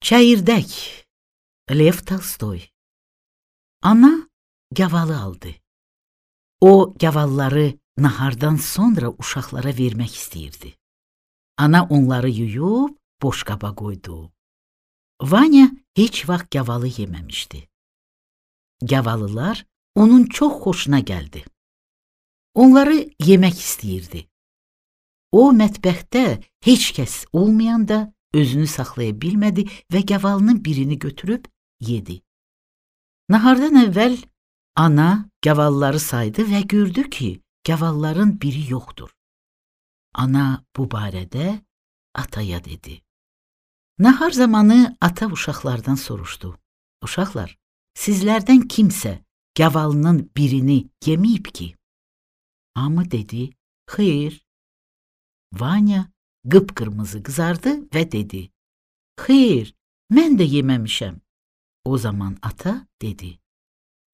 Çəyirdək. Lev Tolstoy. Ana gavalı aldı. O gavalları nahardan sonra uşaqlara vermək istəyirdi. Ana onları yuyub boşqaba qoydu. Vanya heç vaxt gavalı yeməmişdi. Gavalılar onun çox xoşuna gəldi. Onları yemək istəyirdi. O mətbəxdə heç kəs olmayanda özünü saxlaya bilmədi və gavalının birini götürüb yedi. Nahardan əvvəl ana gavalları saydı və gördü ki, gavalların biri yoxdur. Ana bu barədə ataya dedi. Nahar zamanı ata uşaqlardan soruşdu. Uşaqlar, sizlərdən kimsə gavalının birini yeməyib ki? Hamı dedi, xeyr. Vanya qıpqırmızı qızardı və dedi, xeyr, mən də yeməmişəm. O zaman ata dedi,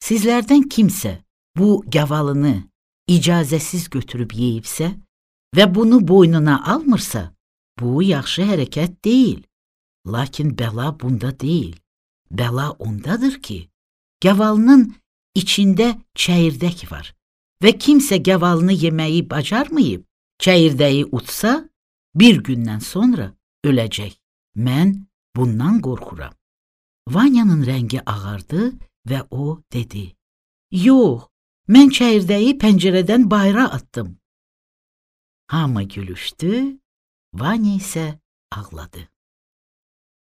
sizlərdən kimsə bu gavalını icazəsiz götürüb yeyibsə və bunu boynuna almırsa, bu yaxşı hərəkət deyil. Lakin bəla bunda deyil. Bəla ondadır ki, gavalının içində çəyirdək var və kimsə gavalını yeməyi bacarmayıb, çəyirdəyi utsa, bir gündən sonra öləcək. Mən bundan qorxuram. Vanyanın rəngi ağardı və o dedi, yox, mən çəyirdəyi pəncərədən bayıra atdım. Hamı gülüşdü, Vanya isə ağladı.